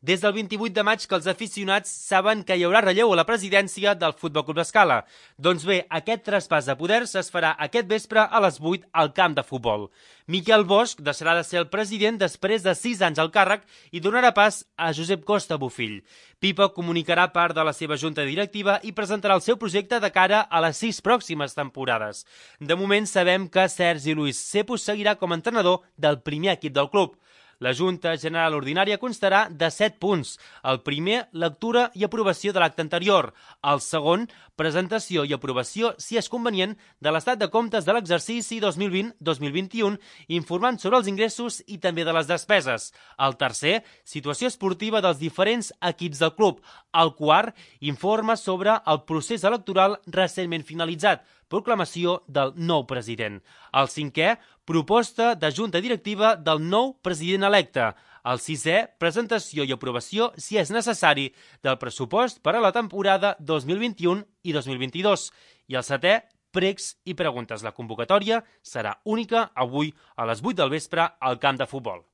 Des del 28 de maig que els aficionats saben que hi haurà relleu a la presidència del Futbol Club Escala. Doncs bé, aquest traspàs de poders es farà aquest vespre a les 8 al camp de futbol. Miquel Bosch deixarà de ser el president després de 6 anys al càrrec i donarà pas a Josep Costa Bofill. Pipa comunicarà part de la seva junta directiva i presentarà el seu projecte de cara a les 6 pròximes temporades. De moment sabem que Sergi Luis Cepos seguirà com a entrenador del primer equip del club. La Junta General Ordinària constarà de 7 punts. El primer, lectura i aprovació de l'acte anterior. El segon, presentació i aprovació, si és convenient, de l'estat de comptes de l'exercici 2020-2021, informant sobre els ingressos i també de les despeses. El tercer, situació esportiva dels diferents equips del club. El quart, informe sobre el procés electoral recentment finalitzat, proclamació del nou president. El cinquè, proposta de junta directiva del nou president electe. El sisè, presentació i aprovació, si és necessari, del pressupost per a la temporada 2021 i 2022. I el setè, pregs i preguntes. La convocatòria serà única avui a les 8 del vespre al camp de futbol.